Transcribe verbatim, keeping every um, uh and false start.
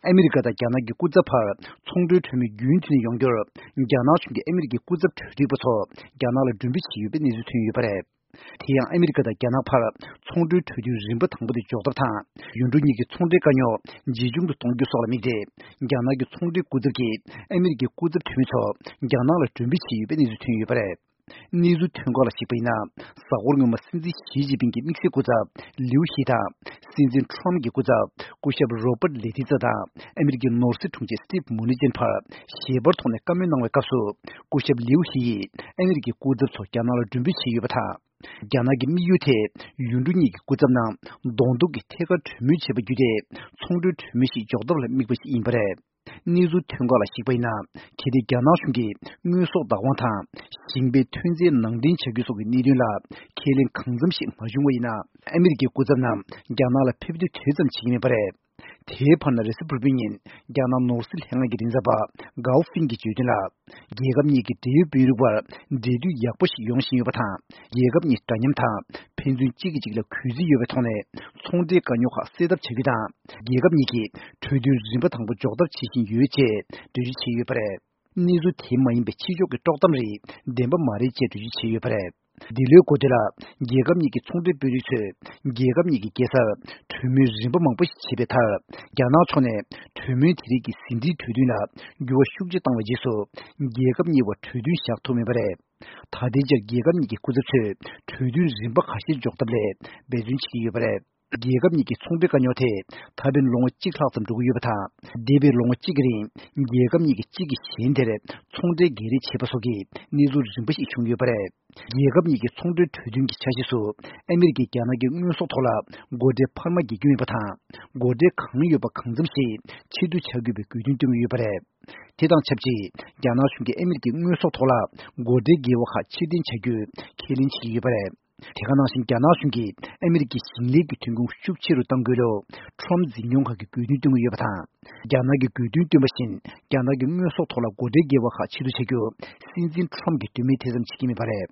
ཨ་མི་རི་ཀ་དང་རྒྱ་ནག་གི་སྐུ་ཚབ་བར་ཚོང་འབྲེལ་གྲོས་མོལ་རྒྱུན་མཐུད་ནས་ཡོང་རྒྱུར། རྒྱ་ནག་གཞུང་གིས་ཨ་མི་རི་ཀའི་སྐུ་ཚབ་གྲོས་སྒྲིག་པ་ཚོ་རྒྱ་ནག་ལ་མགྲོན་འབོད་བྱས་ཡོད་པའི་གནས་ཚུལ་ཐོན་ཡོད་པ་རེད། དེ་ཡང་ཨ་མི་རི་ཀ་དང་རྒྱ་ནག་བར་ཚོང་འབྲེལ་གྲོས་མཐུན་རིམ་པ་དང་པོ་དེ་འཇོག་ཐབས་དང་། ཡུལ་གྲུ་གཉིས་ཀྱི་ཚོང་འབྲེལ་དཀའ་རྙོག་ཇེ་ཆུང་དུ་གཏོང་རྒྱུ་སོགས་ལ་དམིགས་ཏེ། རྒྱ་ནག་གི་ཚོང་འབྲེལ་སྐུ་ཚབ་ཀྱིས་ཨ་མི་རི་ཀའི་སྐུ་ཚབ་འཐུས་མི་ཚོ་རྒྱ་ནག་ལ་མགྲོན་འབོད་བྱས་ཡོད་པའི་གནས་ཚུལ་ཐོན་ཡོད་པ་རེད། གནས་ཚུལ་ཐོན་ཁག་ལ་གཞིགས་པ་ཡིན་ན། གཟའ་འཁོར་སྔོན་མ་སྲིད་འཛིན་ཞི་ཅིན་ཕིང་གི་དམིགས་བསལ་སྐུ་ཚབ་ལིའུ་ཧི་དང་། སྲིད་འཛིན་ཁྲོམ་གྱི་སྐུ་ཚབ་སྐུ་ཞབས་རོ་པར་ལེ་ཏི་ཙ་དང་། ཨ་མི་རི་ཀའི་ནོར་སྲིད་དྲུང་ཆེ་སི་ཊིབ་མུ་ནི་ཅན་བར་ཞལ་པར་ཐོག་ནས་བཀའ་མོལ་གནང་བའི་སྐབས་སུ། སྐུ་ཞབས་ལིའུ་ཧི་ཡིས་ཨ་མི་རི་ཀའི་སྐུ་ཚབ་ཚོ་རྒྱ་ནག་ལ་མགྲོན་འབོད་བྱས་ཡོད་པ་དང་། རྒྱ་ནག་གི་དམིགས་ཡུལ་དེ་ཡུལ་གྲུ་གཉིས་ཀྱི་སྐུ་ཚབ་རྣམས་གདོང་ཐུག་གི་ཐད་ཀར་གྲོས་མོལ་བྱས་པ་བརྒྱུད་དེ། ཚོང་འབྲེལ་གྲོས་མོལ་ཞིག་འཇོག་ཐབས་ལ་དམིགས་པ་ཞིག་ཡིན་པ་རེད། གནས་ཚུལ་ཐོན་ཁག་ལ་གཞིགས་པ་ཡིན་ན། གལ་ཏེ་རྒྱ་ནག་གཞུང་གིས་དངོས་ཟོག་བདག་དབང་དང་། ཞིང་པའི་ཐོན་རྫས་ནང་འདྲེན་བྱ་རྒྱུ་སོགས་ཀྱི་གནད་དོན་ལ་ཁས་ལེན་གང་འཚམ་ཞིག་མ་བྱུང་བ་ཡིན་ན། ཨ་མི་རི་ཀའི་སྐུ་ཚབ་རྣམས་རྒྱ་ནག་ལ་ཕེབས་ཐུབ་དུས་ཙམ་བྱེད་ཀྱི་མེད་པ་རེད། དེའི་བར་ན་རེས་གཟའ་ཕུར་བུའི་ཉིན་རྒྱ་ནག་ནོར་སྲིད་ལྷན་ཁང་གི་མགྲིན་ཚབ་པ་གའོ་ཧྥིང་གིས་བརྗོད་དོན་ལ། རྒྱལ་ཁབ་གཉིས་ཀྱི་འབྲེལ་ཡོད་དཔོན་རིགས་བར་འབྲེལ་མཐུད་ཡག་པོ་ཞིག་ཡོང་བཞིན་ཡོད་པ་དང་། རྒྱལ་ཁབ་གཉིས་འདྲ་མཉམ་དང་ཕན་ཚུན་གཅིག་གིས་གཅིག་ལ་གུས་བརྩི་ཡོད་པའི་ཐོག་ནས་ཚོང་འབྲེལ་དཀའ་རྙོག་ཁག་སེལ་ཐབས་བྱ་རྒྱུ་དང་། རྒྱལ་ཁབ་གཉིས་ཀྱིས་གྲོས་མཐུན་རིམ་པ་དང་པོ་འཇོག་ཐབས་བྱེད་བཞིན་ཡོད་ཅེས་འགྲེལ་བརྗོད་བྱས་ཡོད་པ་རེད། གནས་ཚུལ་དེ་མ་ཡིན་པའི་ཕྱི་ཕྱོགས་ཀྱི་དཀྲོག་གཏམ་རིགས་བདེན་པ་མ་རེད་ཅེས་འགྲེལ་བརྗོད་བྱས་ཡོད་པ་རེད། འདི་ལོའི་འགོ་སྟོད་ལ། རྒྱལ་ཁབ་གཉིས་ཀྱི་ཚོང་འབྲེལ་དཔོན་རིགས་ཚོས་རྒྱལ་ཁབ་གཉིས་ཀྱི་རྒྱལ་སར་གྲོས་མོལ་རིམ་པ་མང་པོ་ཞིག་བྱས་པའི་མཐར། རྒྱ་ནག་ཕྱོགས་ནས་གྲོས་མོལ་དེ་རིགས་ཀྱི་ཟིན་བྲིས་གྲོས་མཐུན་ལ་འགྱུར་བ་ཤུགས་ཆེ་བཏང་བའི་རྗེས་སུ། རྒྱལ་ཁབ་གཉིས་བར་གྲོས་མཐུན་བཞག་ཐུབ་མེད་པ་རེད། ད་ལྟའི་ཆར་རྒྱལ་ཁབ་གཉིས་ཀྱི་སྐུ་ཚབ་ཚོས་གྲོས་མཐུན་རིམ་པ་ཁ་ཤས་འཇོག་ཐབས་ལ་འབད་བརྩོན་བྱེད་ཀྱི་ཡོད་པ་རེད། རྒྱལ་ཁབ་གཉིས་ཀྱི་ཚོང་འབྲེལ་དཀའ་རྙོག་དེ་ད་ཕན་ལོ་ངོ་གཅིག་ལྷག་ཙམ་འགྲོ་གི་ཡོད་པ་དང་། འདས་པའི་ལོ་ངོ་གཅིག་གི་རིང་རྒྱལ་ཁབ་གཉིས་ཀྱིས་གཅིག་གིས་གཞན་དེར་ཚོང་འབྲེལ་སྒེར་རེས་བྱས་པ་སོགས་ཀྱི་གནས་ཚུལ་རིམ་པ་ཞིག་བྱུང་ཡོད་པ་རེད། རྒྱལ་ཁབ་གཉིས་ཀྱི་ཚོང་འབྲེལ་གྲོས་མཐུན་གྱི་ཆ་ཤས་སུ། ཨ་མི་རི་ཀས་རྒྱ་ནག་གི་དངོས་ཟོག་ཐོག་ལ་སྒོ་ཁྲལ་འཕར་མ་འགེལ་རྒྱུ་མེད་པ་དང་། སྒོ་ཁྲལ་གང་ཡོད་པ་གང་འཚམ་ཞིག་ཕྱིར་བསྡུ་བྱ་དགོས་པའི་དགོས་འདུན་བཏོན་གྱི་ཡོད་པ་རེད། དེ་དང་ཆབས་ཅིག་རྒྱ་ནག་གཞུང་གིས་ཨ་མི་རི་ཀའི་དངོས་ཟོག་ཐོག་ལ་སྒོ་ཁྲལ་བརྒལ་བ་ཁག་ཕྱིར་འཐེན་བྱ་རྒྱུའི་ཁས་ལེན་བྱེད་ཀྱི་ཡོད་པ་རེད། དེ་ག་ནང་བཞིན་རྒྱ་ནག་གཞུང་གིས་ཨ་མི་རི་ཀའི་ཞིང་ལས་ཀྱི་ཐོན་ཁུངས་ཤུགས་ཆེ་རུ་གཏང་དགོས་ལུགས་ཁྲོམ་འཛིན་སྐྱོང་ཁང་གིས་དགོས་འདུན་བཏོན་གྱི་ཡོད་པ་དང་། རྒྱ་ནག་གིས་དགོས་འདུན་བཏོན་པ་བཞིན་རྒྱ་ནག་གི་དངོས་ཟོག་ཐོག་ལ་སྒོ་ཁྲལ་བརྒལ་བ་ཁག་ཕྱིར་བསྡུ་བྱ་རྒྱུ་སྲིད་འཛིན་ཁྲོམ་གྱིས་དོན་མེད་ཐེ་ཚོམ་བྱེད་ཀྱི་མེད་པ་རེད།